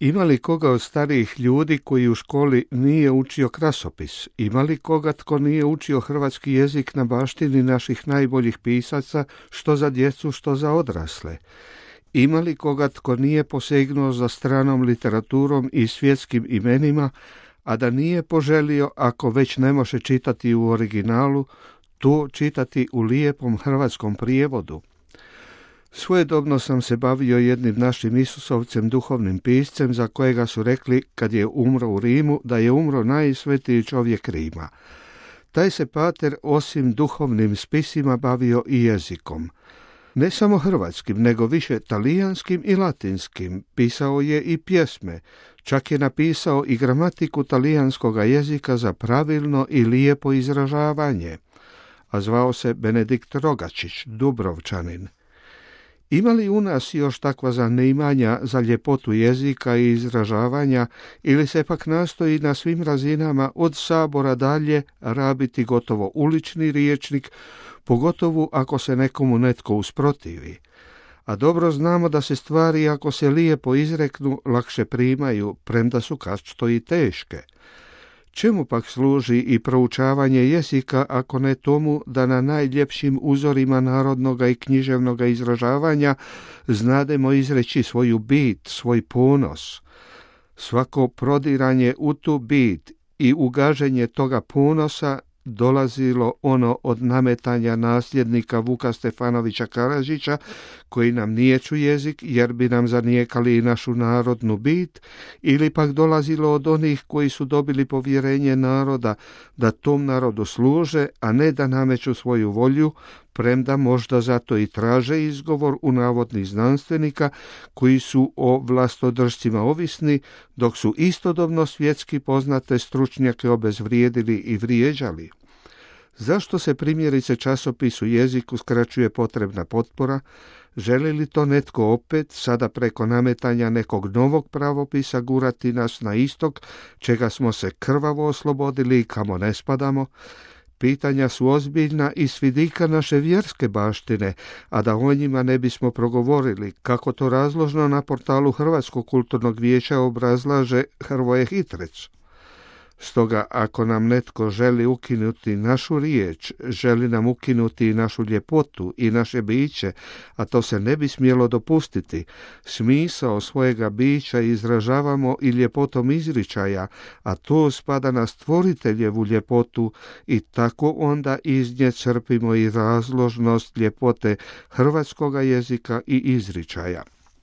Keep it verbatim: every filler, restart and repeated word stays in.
Ima li koga od starijih ljudi koji u školi nije učio krasopis? Ima li koga tko nije učio hrvatski jezik na baštini naših najboljih pisaca, što za djecu, što za odrasle? Ima li koga tko nije posegnuo za stranom literaturom i svjetskim imenima, a da nije poželio, ako već ne može čitati u originalu, to čitati u lijepom hrvatskom prijevodu? Svojedobno sam se bavio jednim našim Isusovcem, duhovnim piscem, za kojega su rekli kad je umro u Rimu da je umro najsvetiji čovjek Rima. Taj se pater osim duhovnim spisima bavio i jezikom. Ne samo hrvatskim, nego više talijanskim i latinskim. Pisao je i pjesme, čak je napisao i gramatiku talijanskoga jezika za pravilno i lijepo izražavanje, a zvao se Benedikt Rogačić, Dubrovčanin. Ima li u nas još takva zanimanja za ljepotu jezika i izražavanja, ili se pak nastoji na svim razinama od sabora dalje rabiti gotovo ulični rječnik, pogotovo ako se nekomu netko usprotivi? A dobro znamo da se stvari, ako se lijepo izreknu, lakše primaju, premda su kačto i teške. Čemu pak služi i proučavanje jezika, ako ne tomu da na najljepšim uzorima narodnoga i književnoga izražavanja znademo izreći svoju bit, svoj ponos? Svako prodiranje u tu bit i ugaženje toga ponosa dolazilo ono od nametanja nasljednika Vuka Stefanovića Karadžića, koji nam nijeću jezik jer bi nam zanijekali i našu narodnu bit, ili pak dolazilo od onih koji su dobili povjerenje naroda da tom narodu služe, a ne da nameću svoju volju, premda možda zato i traže izgovor u navodnih znanstvenika koji su o vlastodržcima ovisni, dok su istodobno svjetski poznate stručnjake obezvrijedili i vrijeđali. Zašto se primjerice časopisu jeziku skraćuje potrebna potpora? Želi li to netko opet, sada preko nametanja nekog novog pravopisa, gurati nas na istok, čega smo se krvavo oslobodili i kamo ne spadamo? Pitanja su ozbiljna i s vidika naše vjerske baštine, a da o njima ne bismo progovorili, kako to razložno na portalu Hrvatskog kulturnog vijeća obrazlaže Hrvoje Hitrec. Stoga, ako nam netko želi ukinuti našu riječ, želi nam ukinuti i našu ljepotu i naše biće, a to se ne bi smjelo dopustiti, smisao svojega bića izražavamo i ljepotom izričaja, a to spada na stvoriteljevu ljepotu i tako onda iz nje crpimo i razložnost ljepote hrvatskoga jezika i izričaja.